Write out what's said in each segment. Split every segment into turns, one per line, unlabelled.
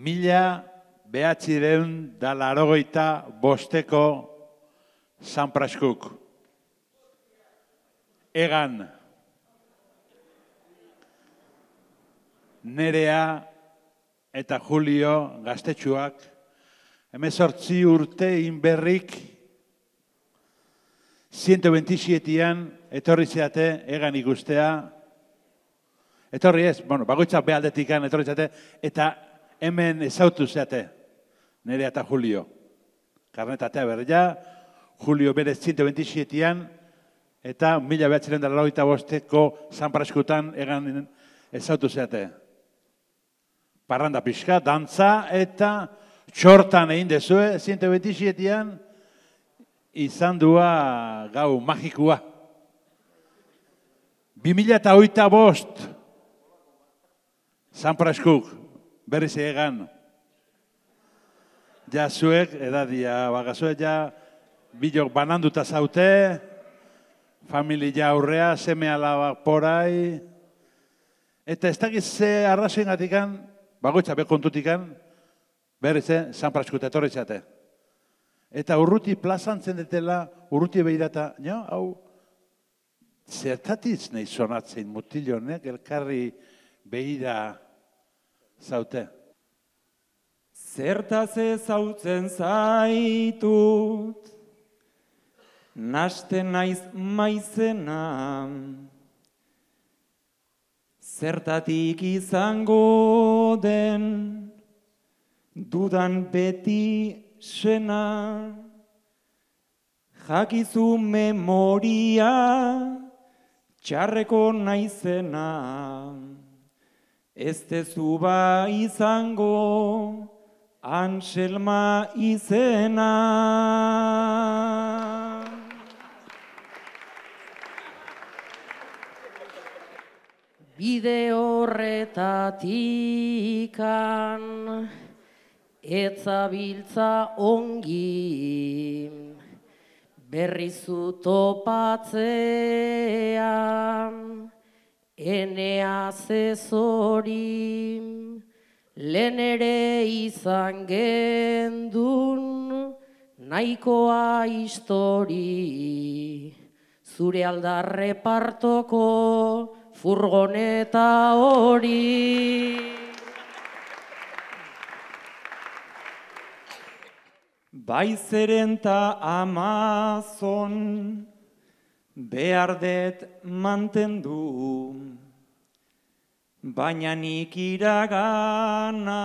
1985 San Praskuk. Egan. Nerea eta Julio gaztetxuak, 18 urte inberrik, 127an etorri zeate Egan ikustea. Etorri ez, bagoitzak behaldetikan etorri zeate, eta hemen ezautu zeate, Nerea eta Julio. Karnetatea berria, Julio berez 127an, eta 1985ko San Praskutan Egan ezautu zeate. Parranda pixka, dantza eta txortan egin dezue, 127an, izan dua gau magikua. 2008 San Praskuk, berriz Egan. Ja zuek, edadia, bagazuek ja, bilok bananduta zaute, familia aurrea, seme alabak porai, eta ez dakiz ze arrazoen gatikan, bagoitza bekontutikan, berriz San Praskuta etorri zate. Eta urruti plazantzen detela, urruti behirata, hau, zertatiz nahi sonatzen mutilonek, elkarri behira zaute.
Zertaz ezautzen zaitut, nasten naiz maizena, zertatik izango den, dudan beti sena, jakizu memoria, txarreko naizena, ez tezu ba izango, Anselma izena.
Bide horretatikan etzabiltza ongi, berrizu topatzean, Enea zezori, lehen ere izan gendun, nahikoa histori, zure aldarre partoko furgoneta hori.
Baizeren ta Amazon, behar det mantendu, baina nik iragana,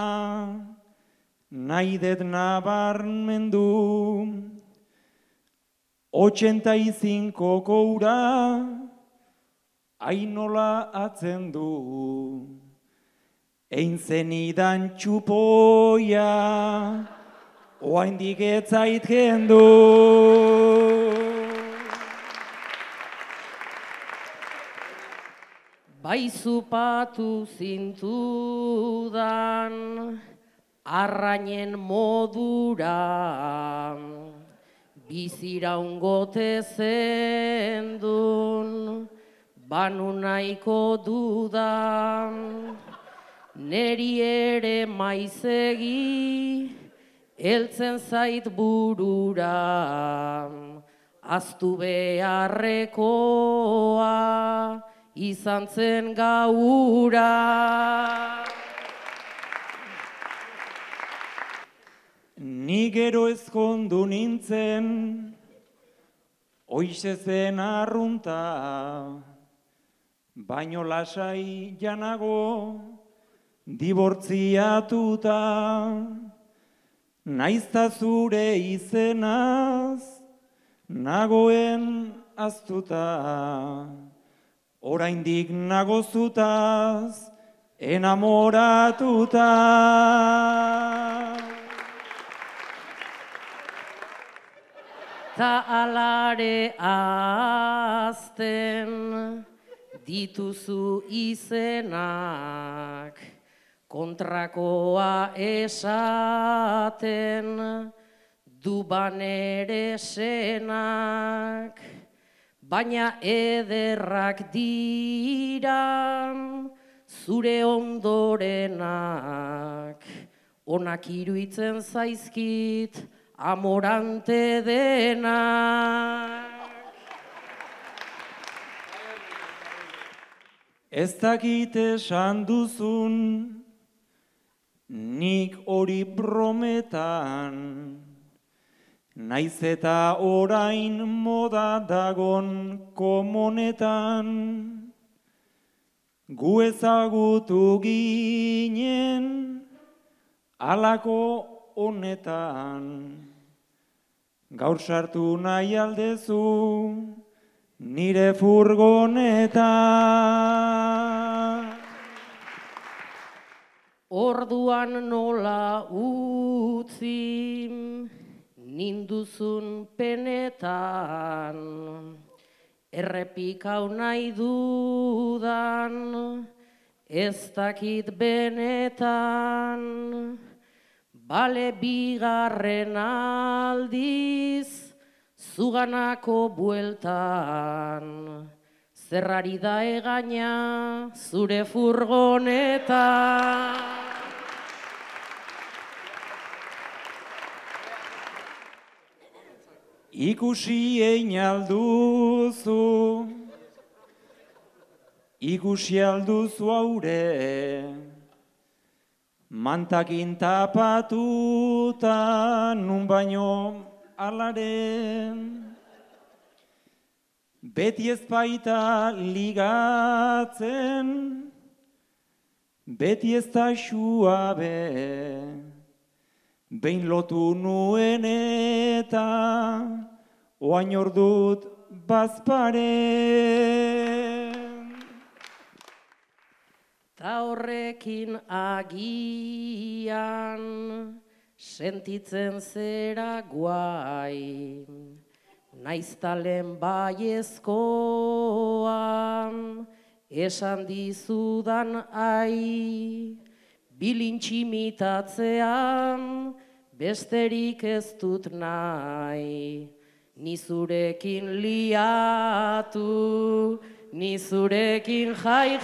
nahi det nabarmendu. 85ko ura, ainola atzen du, ein zenidan txupoia, oaindik ez zait kendu.
Bai zupatu zintudan, arrainen modura, biziraungote zendun, banu nahiko dudan, neri ere maizegi, heltzen zait burura, aztu beharrekoa, izan zen gaura.
Ni gero ezkondu nintzen, hoize zen arrunta, baino lasai janago, dibortziatuta, naizta zure izenaz, nagoen aztuta, oraindik nagozutaz, enamoratuta.
Ta alare azten dituzu izenak, kontrakoa esaten du banere senak, baina ederrak dira zure ondorenak, onak iruitzen zaizkit, amorante denak.
Ez dakit esan duzun, nik hori brometan, naiz eta orain moda dagon komonetan, gu ezagutu ginen alako honetan, gaur sartu nahi aldezu nire furgonetan.
Orduan nola utzi ninduzun penetan, errepikau nahi dudan, ez dakit benetan, bale bigarren aldiz, zuganako bueltan, zerrari da egaina zure furgonetan.
Ikusi egin alduzu, ikusi alduzu haure, mantakin tapatuta nun baino alaren. Beti ez baita ligatzen, beti ez da suabe, behin lotu nuen eta oain ordut bazparen.
Ta horrekin agian sentitzen zera guai, naiztalen baiezkoan esan dizudan ai, bilintximitatzean besterik ez dut nahi, ni zurekin liatu, ni zurekin jai.